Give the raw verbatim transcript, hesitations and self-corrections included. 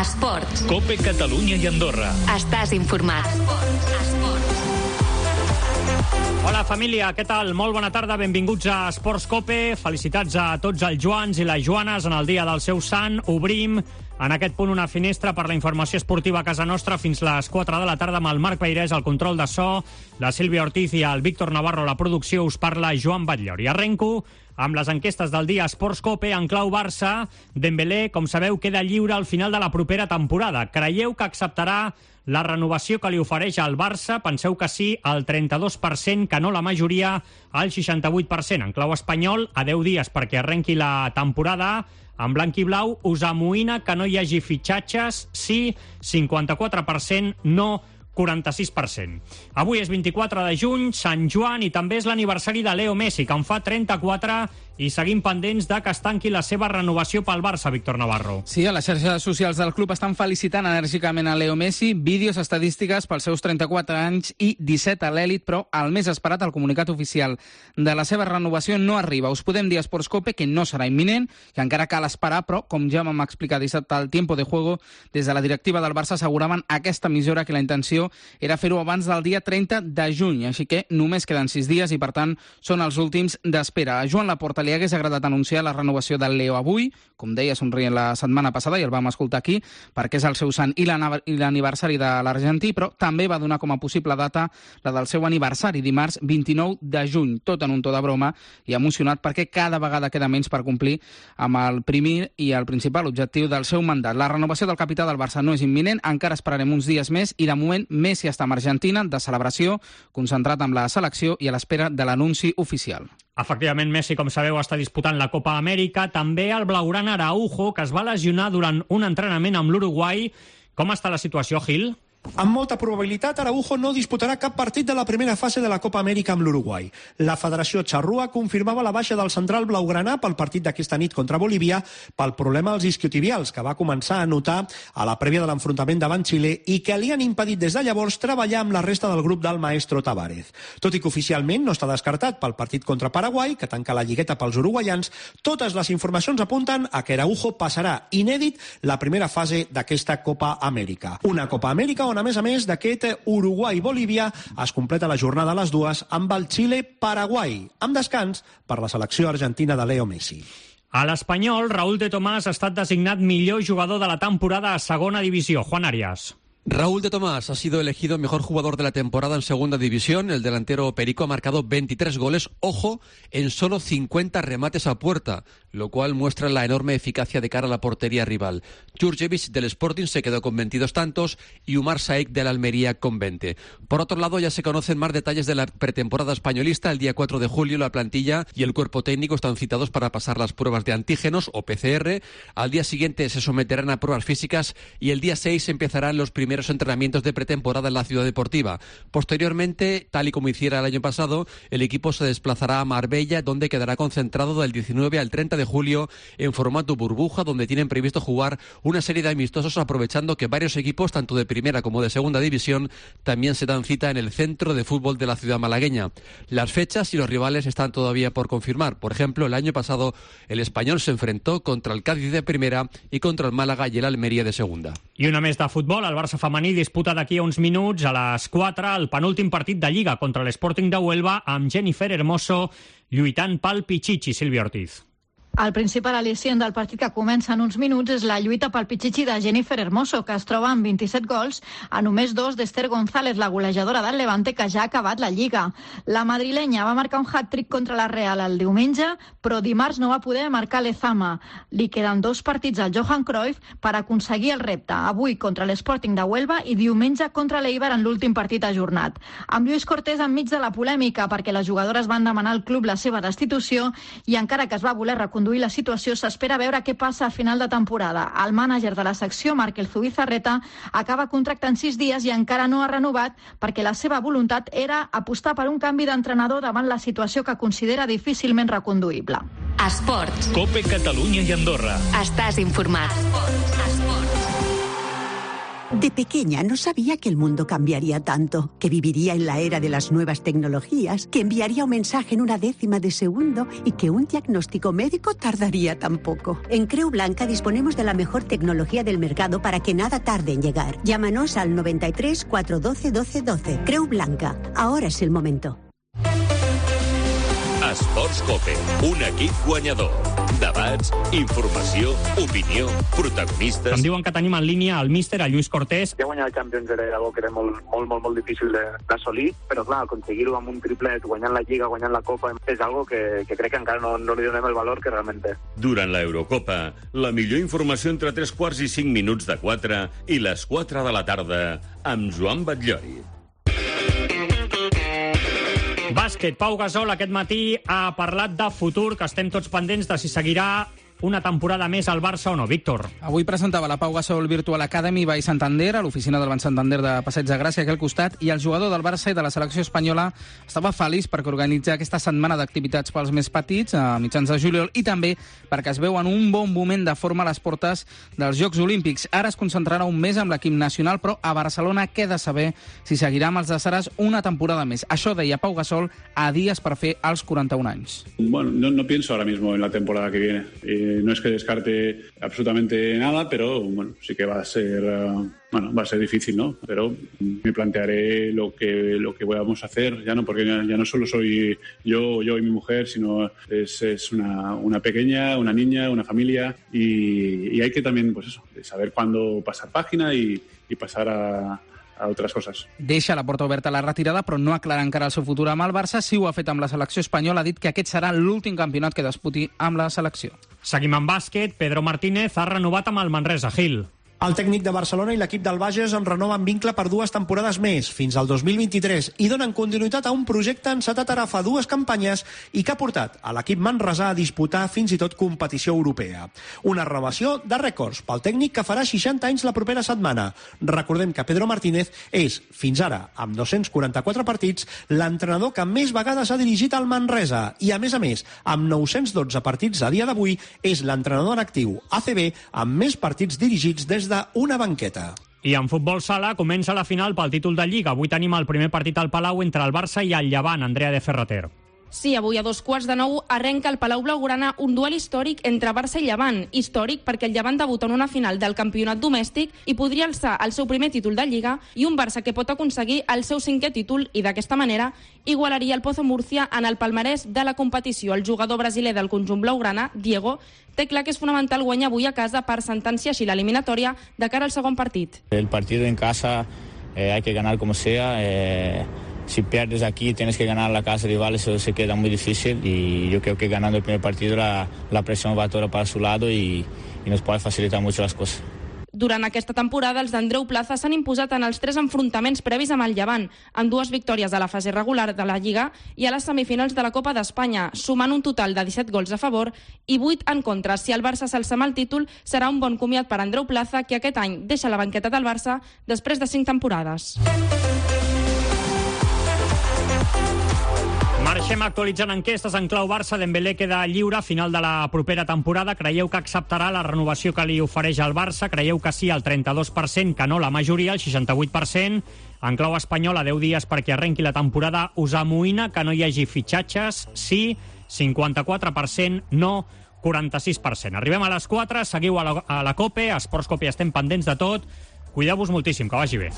Esports. COPE Catalunya i Andorra. Estàs informat. Esports. Esports. Hola família, què tal? Molt bona tarda, benvinguts a Esports COPE. Felicitats a tots els Joans i les Joanes en el dia del seu sant. Obrim en aquest punt una finestra per la informació esportiva a casa nostra fins les quatre de la tarda amb el Marc Peirés, el control de so, la Sílvia Ortiz i el Víctor Navarro, la producció. Us parla Joan Batllor. I arrenco amb les enquestes del dia Esports COPE en clau Barça. Dembélé, com sabeu, queda lliure al final de la propera temporada. Creieu que acceptarà la renovació que li ofereix al Barça? Penseu que sí, al trenta-dos per cent, que no la majoria, al seixanta-vuit per cent. En clau espanyol, a deu dies perquè arrenqui la temporada, en blanc i blau, us amoïna que no hi hagi fitxatges, sí, cinquanta-quatre per cent, no, quaranta-sis per cent. Avui és vint-i-quatre de juny, Sant Joan, i també és l'aniversari de Leo Messi, que en fa trenta-quatre, i seguim pendents de que es tanqui la seva renovació pel Barça, Víctor Navarro. Sí, a les xarxes socials del club estan felicitant enèrgicament a Leo Messi, vídeos estadístiques pels seus trenta-quatre anys i disset a l'èlit, però el més esperat, el comunicat oficial de la seva renovació, no arriba. Us podem dir a Esports COPE que no serà imminent, que encara cal esperar, però, com ja vam explicar dissabte al Tiempo de Juego, des de la directiva del Barça asseguraven a aquesta emissora que la intenció era fer-ho abans del dia trenta de juny, així que només queden sis dies i, per tant, són els últims d'espera. A Joan Laporta li hagués agradat anunciar la renovació del Leo avui, com deia, somrient la setmana passada, i el vam escoltar aquí, perquè és el seu sant i l'aniversari de l'argentí, però també va donar com a possible data la del seu aniversari, dimarts vint-i-nou de juny, tot en un to de broma i emocionat perquè cada vegada queda menys per complir amb el primer i el principal objectiu del seu mandat. La renovació del capità del Barça no és imminent, encara esperarem uns dies més i de moment Messi està amb Argentina, de celebració, concentrat amb la selecció i a l'espera de l'anunci oficial. Efectivament, Messi, com sabeu, està disputant la Copa Amèrica. També el blaugrana Araujo, que es va lesionar durant un entrenament amb l'Uruguai. Com està la situació, Gil? Amb molta probabilitat, Araujo no disputarà cap partit de la primera fase de la Copa Amèrica amb l'Uruguai. La Federació Charrúa confirmava la baixa del central blaugrana pel partit d'aquesta nit contra Bolívia pel problema als isquiotibials, que va començar a notar a la prèvia de l'enfrontament davant Xile i que li han impedit des de llavors treballar amb la resta del grup del maestro Tavares. Tot i que oficialment no està descartat pel partit contra Paraguai, que tanca la lligueta pels uruguaians, totes les informacions apunten a que Araujo passarà inèdit la primera fase d'aquesta Copa Amèrica. Una Copa Amèrica on, a més a més d'aquest Uruguai-Bolívia, es completa la jornada a les dues amb el Xile-Paraguai, amb descans per la selecció argentina de Leo Messi. A l'Espanyol, Raúl de Tomàs ha estat designat millor jugador de la temporada a segona divisió. Juan Arias. Raúl de Tomás ha sido elegido mejor jugador de la temporada en segunda división. El delantero perico ha marcado veintitrés goles, ojo, en solo cincuenta remates a puerta, lo cual muestra la enorme eficacia de cara a la portería rival. Jurjevic del Sporting se quedó con veintidós tantos y Umar Saik del Almería con veinte. Por otro lado, ya se conocen más detalles de la pretemporada españolista. El día cuatro de julio la plantilla y el cuerpo técnico están citados para pasar las pruebas de antígenos o P C R. Al día siguiente se someterán a pruebas físicas y el día seis empezarán los primeros entrenamientos de pretemporada en la ciudad deportiva. Posteriormente, tal y como hiciera el año pasado, el equipo se desplazará a Marbella, donde quedará concentrado del diecinueve al treinta de julio en formato burbuja, donde tienen previsto jugar una serie de amistosos, aprovechando que varios equipos, tanto de primera como de segunda división, también se dan cita en el centro de fútbol de la ciudad malagueña. Las fechas y los rivales están todavía por confirmar. Por ejemplo, el año pasado el Español se enfrentó contra el Cádiz de primera y contra el Málaga y el Almería de segunda. I una més de futbol, el Barça femení disputa d'aquí a uns minuts, a les quatre, el penúltim partit de Lliga contra l'Sporting de Huelva, amb Jennifer Hermoso lluitant pel Pichichi. Sílvia Ortiz. El principal al·licient del partit que comença en uns minuts és la lluita pel Pichichi de Jennifer Hermoso, que es troba amb vint-i-set gols a només dos d'Esther González, la golejadora del Levante, que ja ha acabat la Lliga. La madrilenya va marcar un hat-trick contra la Real el diumenge, però dimarts no va poder marcar l'Ezama. Li queden dos partits al Johan Cruyff per aconseguir el repte, avui contra l'Sporting de Huelva i diumenge contra l'Eibar en l'últim partit ajornat. Amb Lluís Cortés enmig de la polèmica perquè les jugadores van demanar al club la seva destitució i encara que es va voler reconduir la situació, s'espera veure què passa a final de temporada. El mànager de la secció, Markel Zubizarreta, acaba contractant sis dies i encara no ha renovat perquè la seva voluntat era apostar per un canvi d'entrenador davant la situació que considera difícilment reconduïble. Esports. COPE Catalunya i Andorra. Estàs informat. Esports. Esports. De pequeña no sabía que el mundo cambiaría tanto, que viviría en la era de las nuevas tecnologías, que enviaría un mensaje en una décima de segundo y que un diagnóstico médico tardaría tan poco. En Creu Blanca disponemos de la mejor tecnología del mercado para que nada tarde en llegar. Llámanos al noventa y tres, cuatrocientos doce, doce doce. Creu Blanca. Ahora es el momento. Esports Cope, un equip guanyador. Debats, informació, opinió, protagonistes... Em diuen que tenim en línia el míster, el Lluís Cortés. Ja guanyar el Champions era algo que era molt, molt, molt, molt difícil d'assolir, però clar, aconseguir-ho amb un triplet, guanyant la Lliga, guanyant la Copa, és algo que, que crec que encara no, no li donem el valor que realment té. Durant l'Eurocopa, la millor informació entre tres quarts i cinc minuts de quatre i les quatre de la tarda amb Joan Batllori. Bàsquet, Pau Gasol aquest matí ha parlat de futur, que estem tots pendents de si seguirà una temporada més al Barça o no. Víctor. Avui presentava la Pau Gasol Virtual Academy Vall Santander, a l'oficina del Banc Santander de Passeig de Gràcia, aquí al costat, i el jugador del Barça i de la selecció espanyola estava feliç perquè organitza aquesta setmana d'activitats pels més petits a mitjans de juliol i també perquè es veu en un bon moment de forma a les portes dels Jocs Olímpics. Ara es concentrarà un mes amb l'equip nacional, però a Barcelona queda saber si seguirà amb els de Saras una temporada més. Això deia Pau Gasol a dies per fer els quaranta-un anys. Bueno, no, no pienso ahora mismo en la temporada que viene. Eh, no es que descarte absolutamente nada, pero bueno, sí que va a ser uh, bueno, va a ser difícil, ¿no? Pero me plantearé lo que lo que vamos a hacer, ya no porque ya, ya no solo soy yo, yo y mi mujer, sino es, es una, una pequeña, una niña, una familia y, y hay que también, pues eso, saber cuándo pasar página y, y pasar a a altres coses. Deixa la porta oberta a la retirada, però no aclara encara el seu futur amb el Barça. Si ho ha fet amb la selecció espanyola, ha dit que aquest serà l'últim campionat que disputi amb la selecció. Seguim amb bàsquet. Pedro Martínez ha renovat amb el Manresa. Gil. El tècnic de Barcelona i l'equip del Bages en renoven vincle per dues temporades més, fins al dos mil vint-i-tres, i donen continuïtat a un projecte encetat ara fa dues campanyes i que ha portat a l'equip manresà a disputar fins i tot competició europea. Una renovació de rècords pel tècnic que farà seixanta anys la propera setmana. Recordem que Pedro Martínez és, fins ara, amb dos-cents quaranta-quatre partits, l'entrenador que més vegades ha dirigit al Manresa i, a més a més, amb nou-cents dotze partits a dia d'avui, és l'entrenador en actiu A C B amb més partits dirigits des d'una banqueta. I en futbol sala comença la final pel títol de Lliga. Avui tenim el primer partit al Palau entre el Barça i el Llevant. Andrea de Ferrater. Sí, avui a dos quarts de nou arrenca el Palau Blaugrana un duel històric entre Barça i Llevant. Històric perquè el Llevant debuta en una final del campionat domèstic i podria alçar el seu primer títol de Lliga, i un Barça que pot aconseguir el seu cinquè títol i d'aquesta manera igualaria el Pozo Murcia en el palmarès de la competició. El jugador brasiler del conjunt blaugrana, Diego, té clar que és fonamental guanyar avui a casa per sentenciar així l'eliminatòria de cara al segon partit. El partit en casa eh, hay que ganar como sea. Eh... Si pierdes aquí, tienes que ganar la casa rival, eso se queda muy difícil y yo creo que ganando el primer partido la, la presión va toda para su lado y, y nos puede facilitar mucho las cosas. Durant aquesta temporada, els d'Andreu Plaza s'han imposat en els tres enfrontaments previs amb el Llevant, amb dues victòries a la fase regular de la Lliga i a les semifinals de la Copa d'Espanya, sumant un total de disset gols a favor i vuit en contra. Si el Barça s'alça amb el títol, serà un bon comiat per Andreu Plaza, que aquest any deixa la banqueta del Barça després de cinc temporades. Marxem actualitzant enquestes en clau Barça. Dembélé queda lliure a final de la propera temporada. Creieu que acceptarà la renovació que li ofereix el Barça? Creieu que sí, el trenta-dos per cent, que no la majoria, el seixanta-vuit per cent. En clau espanyola, deu dies perquè arrenqui la temporada. Us amoïna que no hi hagi fitxatges? Sí, cinquanta-quatre per cent, no, quaranta-sis per cent. Arribem a les quatre, seguiu a la, a la COPE, a Esports Cope, estem pendents de tot. Cuideu-vos moltíssim, que vagi bé.